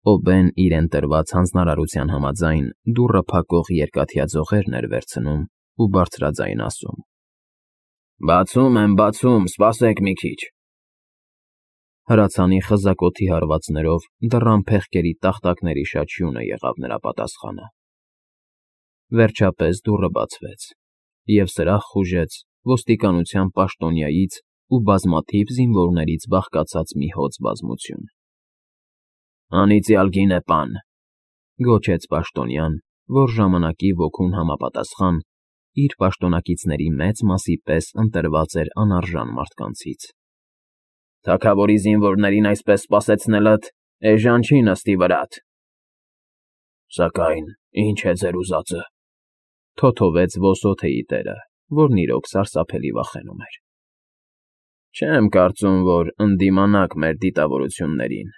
Օբեն իրեն տրված հանձնարարության համաձայն դուռը փակող երկաթյա ձողերն էր վերցնում ու բարձրաձայն ասում. Բացում եմ, սպասեք մի քիչ։ Հրացանի խզակոթի հարվածներով դռան փեղկերի տախտակների շաչյունը եղավ նրա պատասխանը։ Վերջապես դուռը բացվեց, և սրահ խուժեց ոստիկանության պաշտոնյայից ու բազմաթիվ զինվորներից բաղկացած մի հոծ բազմություն։ Անիծյալ գինեպան, գոչեց պաշտոնյան, որ ժամանակի ոգուն համապատասխան իր պաշտոնակիցների մեծ մասի պես ընտրված էր անարժան մարդկանցից։ Թագավորի զինվորներին այսպես սպասեցնելդ էժան չի նստի վրադ։ Սակայն ինչ է ձեր ուզածը, թոթովեց ոսոթեի տերը, որն իրոք սարսափելի վախենում էր։ Չեմ կարծում, որ ընդդիմանաք մեր դիտավորություններին։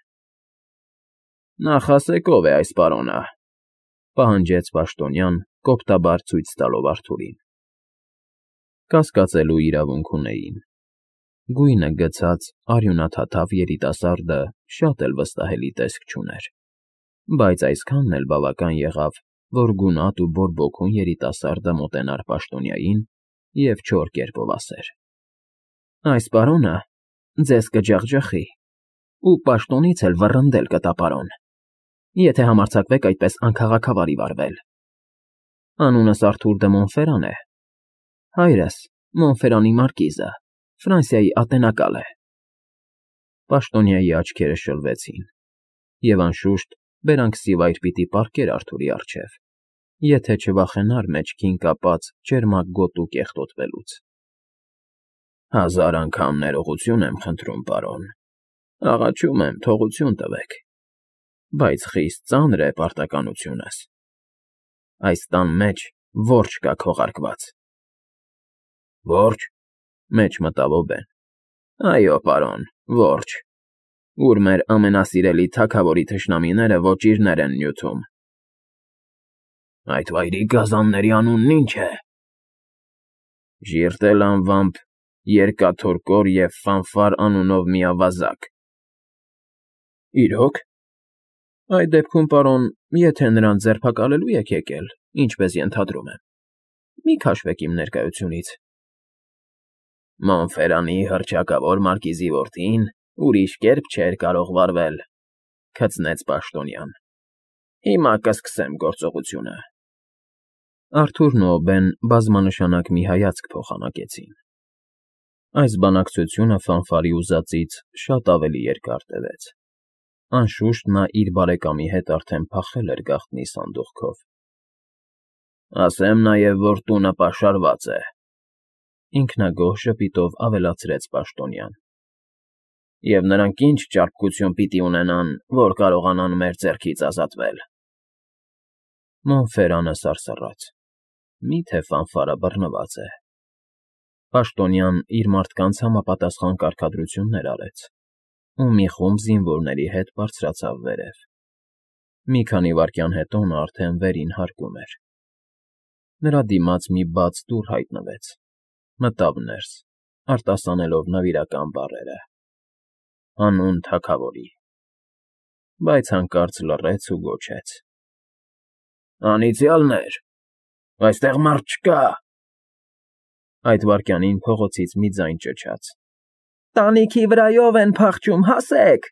Նախ ասեք ով է այս պարոնը, պահանջեց պաշտոնյան, կոպտաբար ցույց տալով Արթուրին։ Կասկածելու իրավունք ունեին։ Գույնը գցած արյունաթաթավ երիտասարդը շատ էլ վստահելի տեսք չուներ, բայց այսքանն էլ բավական եղավ, որ գունատ ու բորբոքուն երիտասարդը մոտենար պաշտոնյային և չոր կերպով ասեր. Այս պարոնը ձեզ կջախջախի ու պաշտոնից էլ վռնդել կտա, պարոն, եթե համարձակվեք այդպես անքաղաքավարի վարվել։ Անունս Արթուր դը Մոնֆերան է, հայրս Մոնֆերանի մարկիզը, Ֆրանսիայի ատենակալ է։ Պաշտոնյայի աչքերը շլվեցին, և անշուշտ բերանքսիվայր պիտի պառկեր Արթուրի առջև, եթե չվախենար մեջքին կապած ճերմակ գոտու կեղտոտվելուց։ 1000 անգամ ներողություն եմ խնդրում, պարոն, աղաչում եմ, թողություն տվեք, բայց խիստ ծանր է պարտականությունս։ Այս տան մեջ որջ կա քողարկված։ Որջ, մեջ մտավ Օբեն։ Այո, պարոն, որջ, ուր մեր ամենասիրելի թագավորի թշնամիները ոճիրներ են նյութում։ Այդ վայրի գազանների անունն ինչ է։ Ժիրտել անվամբ Երկաթորկոր և Ֆանֆար անունով մի ավազակ։ Իրո՞ք։ Այդ դեպքում, պարոն, եթե նրան ձերբակալելու եք եկել, ինչպես ենթադրում եմ, մի քաշվեք իմ ներկայությունից։ Մոնֆերանի հռչակավոր մարկիզի որդին ուրիշ կերպ չէր կարող վարվել, քցնեց պաշտոնյան։ Հիմա կսկսեմ գործողությունը։ Արթուրն ու Օբեն բազմանշանակ մի հայացք փոխանակեցին։ Այս բանակցությունը Ֆանֆարի ուզածից շատ ավելի երկար տևեց։ Անշուշտ նա իր բարեկամի հետ արդեն փախել էր գաղտնի սանդուղքով։ Ասեմ նաև, որ տունը պաշարված է, ինքնագոհ ժպիտով ավելացրեց պաշտոնյան։ Եվ նրանք ինչ ճարպկություն պիտի ունենան, որ կարողանան մեր ձեռքից ազատվել։ Մոնֆերանը սարսռաց։ Մի՞թե Ֆանֆարը բռնված է։ Պաշտոնյան իր մարդկանց համապատասխան կարգադրություններ արեց, ու մի խումբ զինվորների հետ բարձրացավ վերև։ Մի քանի վայրկյան հետո նա արդեն վերին հարկում էր։ Նրա դիմաց մի բաց դուռ հայտնվեց, մտավ ներս, արտասանելով նվիրական բառերը. Հանուն թագավորի։ Բայց հանկարծ լռեց ու գոչեց. Անիծյալներ, այստեղ մարդ չկա։ Այդ վայրկյանին փողոցից մի ձայն ճչաց. Տանիքի վրայով են փախչում, հասեք։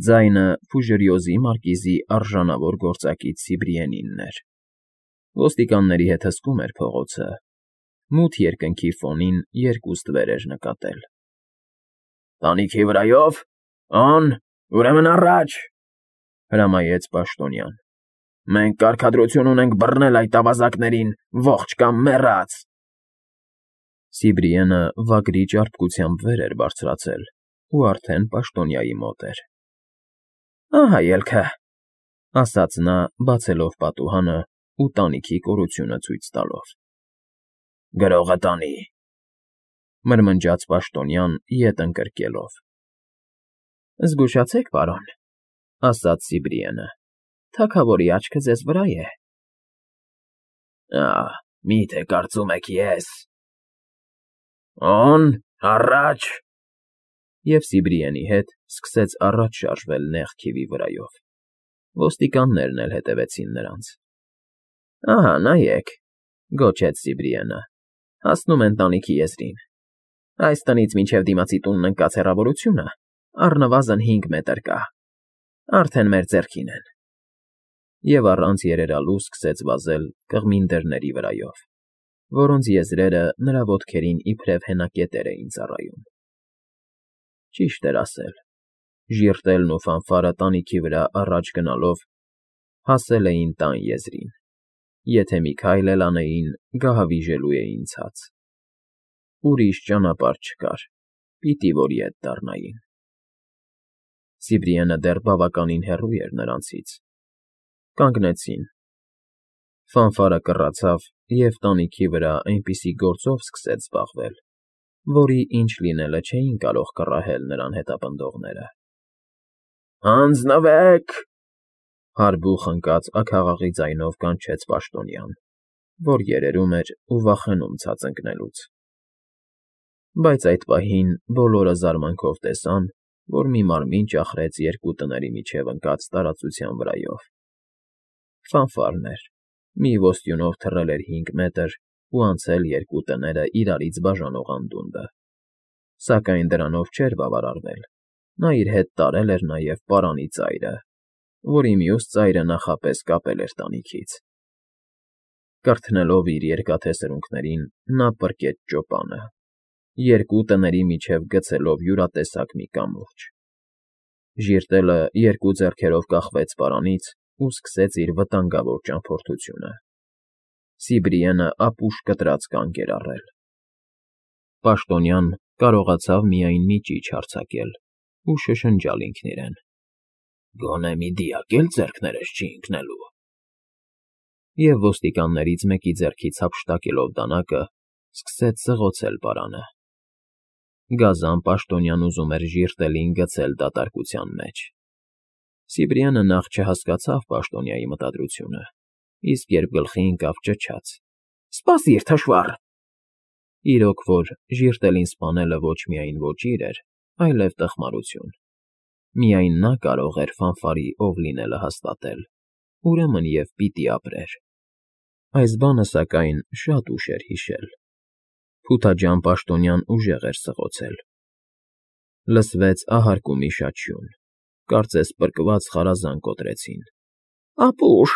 Ձայնը Ֆուժերիոզի մարկիզի արժանավոր գործակից Սիբրիենինն էր։ Ոստիկանների հետ հսկում էր փողոցը, մութ երկնքի ֆոնին երկու ստվեր էր նկատել։ Տանիքի վրայո՞վ, on, ուրեմն առաջ, հրամայեց պաշտոնյան։ Մենք կարգադրություն ունենք բռնել այդ ավազակներին, ողջ կամ մեռած։ Սիբրիենը վագրի ճարպկությամբ վեր էր բարձրացել ու արդեն պաշտոնյայի մոտ էր։ Ահա ելքը, ասաց նա, բացելով պատուհանը ու տանիքի կորությունը ցույց տալով։ Գրողը տանի, մրմնջաց պաշտոնյան ետ ընկրկելով։ Զգուշացեք, պարոն, ասաց Սիբրիենը, թագավորի աչքը ձեզ վրա է։ Մի՞թե կարծում եք ես։ On, առաջ։ և Սիբրիենի հետ սկսեց առաջ շարժվել նեղ քիվի վրայով։ Ոստիկաններն էլ հետևեցին նրանց։ ֊ Ահա, նայեք,֊ գոչեց Սիբրիենը,֊ հասնում են տանիքի եզրին։ Այս տնից մինչև դիմացի տունն ընկած հեռավորությունը առնվազն 5 մետր կա, արդեն մեր ձեռքին են։ Եվ առանց երերալու սկսեց վազել կղմին դռների վրայով, որոնց եզրերը նրա ոտքերին իբրև հենակետեր էին ծառայում։ Ճիշտ էր ասել, ժիրտելն ու ֆանֆարը տանիքի վրա առաջ գնալով հասել էին տան եզրին, եթե մի քայլ էլ անեին, գահավիժելու էին ցած։ Ուրիշ ճանապարհ չկար, պիտի որ ետ դառնային։ Սիբրիենը դեռ բավականին հեռու էր նրանցից։ Կանգնեցին։ Ֆանֆարը կռացավ և տանիքի վրա այնպիսի գործով սկսեց զբաղվել, որի ինչ լինելը չէին կարող կռահել նրան հետապնդողները։ «Հանձնվե՛ք,֊ հարբուխ ընկած աքաղաղի ձայնով կանչեց պաշտոնյան, որ երերում էր ու վախենում ցած ընկնելուց։ Բայց այդ պահին բոլորը զարմանքով տեսան, որ մի մարմին ճախրեց երկու տների միջև ընկած տարածության վրայով։ Ֆանֆարն էր, մի ոստյունով թռել էր 5 մետր ու անցել երկու տները իրարից բաժանող անդունդը, սակայն դրանով չէր բավարարվել, նա իր հետ տարել էր նաև պարանի ծայրը, որի մյուս ծայրը նախապես կապել էր տանիքից։ Կրթնելով իր երկաթե սրունքներին՝ նա պրկեց ճոպանը, երկու տների միջև գցելով յուրատեսակ մի կամուրջ։ Ժիրտելը երկու ձեռքերով կախվեց պարանից ու սկսեց իր վտանգավոր ճամփորդությունը։ Սիբրիենը ապուշ կտրած կանգ էր առել։ Պաշտոնյան կարողացավ միայն մի ճիչ արձակել ու շշնջալ ինքն իրեն. «Գոնե մի դիակ էլ ձեռքներս չի ընկնելու»։ Եվ ոստիկաններից մեկի ձեռքից հափշտակելով դանակը, սկսեց սղոցել պարանը։ Գազան պաշտոնյան ուզում էր ժիրտելին գցել դատարկության մեջ։ Սիբրիանը նախ չհասկացավ պաշտոնյայի մտադրությունը, իսկ երբ գլխի ընկավ, ճչաց. «Սպասիր, թշվառ»։ Իրոք որ ժիրտելին սպանելը ոչ միայն ոճիր էր, այլև տխմարություն։ Միայն նա կարող էր ֆանֆարի ով լինելը հաստատել, ուրեմն և պիտի ապրեր։ Այս բանը, սակայն, շատ ուշ էր հիշել։ Փութաջան պաշտոնյան ուժեղ էր սղոցել։ Լսվեց ահարկումի շաչյուն, կարծես պրկված խարազան կոտրեցին։ «Ապուշ»,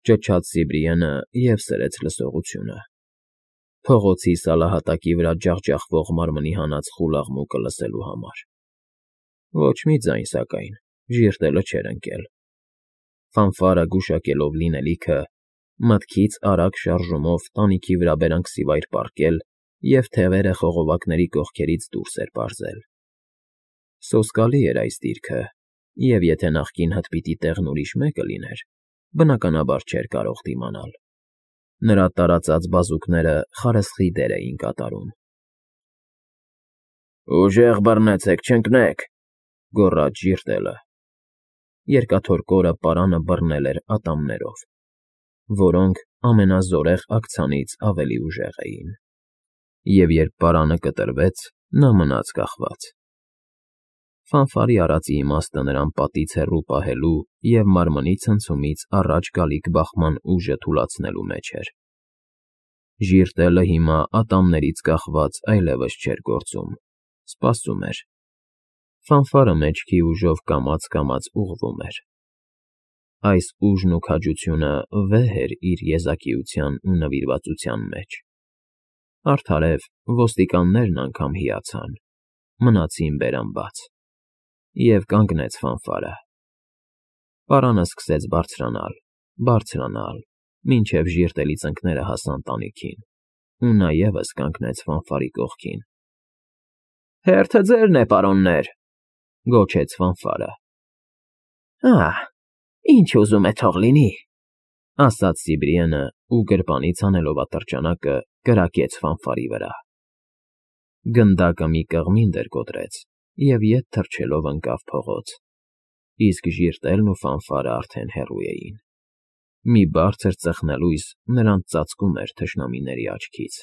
ճչաց Սիբրիենը և սրեց լսողությունը։ Փողոցի սալահատակի վրա ջախջախվող մարմնի հանած խուլ աղմուկը լսելու համար։ Ոչ մի ձայն, սակայն, ժիրտելը չէր ընկել։ Ֆանֆարը գուշակելով լինելիքը, մտքից արագ շարժումով տանիքի վրա բերանքսիվայր պառկել և թևերը խողովակների կողքերից դուրս էր պարզել։ Սոսկալի էր այս դիրքը, և եթե նախկին հտպիտի տեղն ուրիշ մեկը լիներ, բնականաբար չէր կարող դիմանալ։ Նրա տարածած բազուկները խարսխի դեր էին կատարում։ «Ուժեղ բռնեցեք, չընկնեք,֊ գոռաց ժիրտելը։ Երկաթոռ պարանը բռնել էր ատամներով, որոնք ամենազորեղ աքցանից ավելի ուժեղ էին, և երբ պարանը կտրվեց, նա մնաց կախված։ Ֆանֆարի արածի իմաստը նրան պատից հեռու պահելու և մարմնի ցնցումից առաջ գալիք բախման ուժը թուլացնելու մեջ էր։ Ժիրտելը հիմա ատամներից կախված այլևս չէր գործում, սպասում էր։ Ֆանֆարը մեջքի ուժով կամաց֊կամաց ուղղվում էր։ Այս ուժն ու քաջությունը վեհ էր իր եզակիության ու նվիրվածության մեջ։ Արդարև ոստիկաններն անգամ հիացան, մնացին բերան բաց։ Եվ կանգնեց ֆանֆարը։ Պարանը սկսեց բարձրանալ, բարձրանալ, մինչև ժիրտելի ծնկները հասան տանիքին, ու նա ևս կանգնեց ֆանֆարի կողքին։ «Հերթը ձերն է, պարոններ,֊ գոչեց ֆանֆարը։ «Ահ, ինչ ուզում է թող լինի,֊ ասաց Սիբրիենը ու գրպանից հանելով ատրճանակը, կրակեց ֆանֆարի վրա։ Գնդակը մի կղմինդ էր կոտրեց և ետ թռչելով ընկավ փողոց, իսկ ժիրտելն ու ֆանֆարը արդեն հեռու էին։ Մի բարձր ծխնելույս նրանց ծածկում էր թշնամիների աչքից։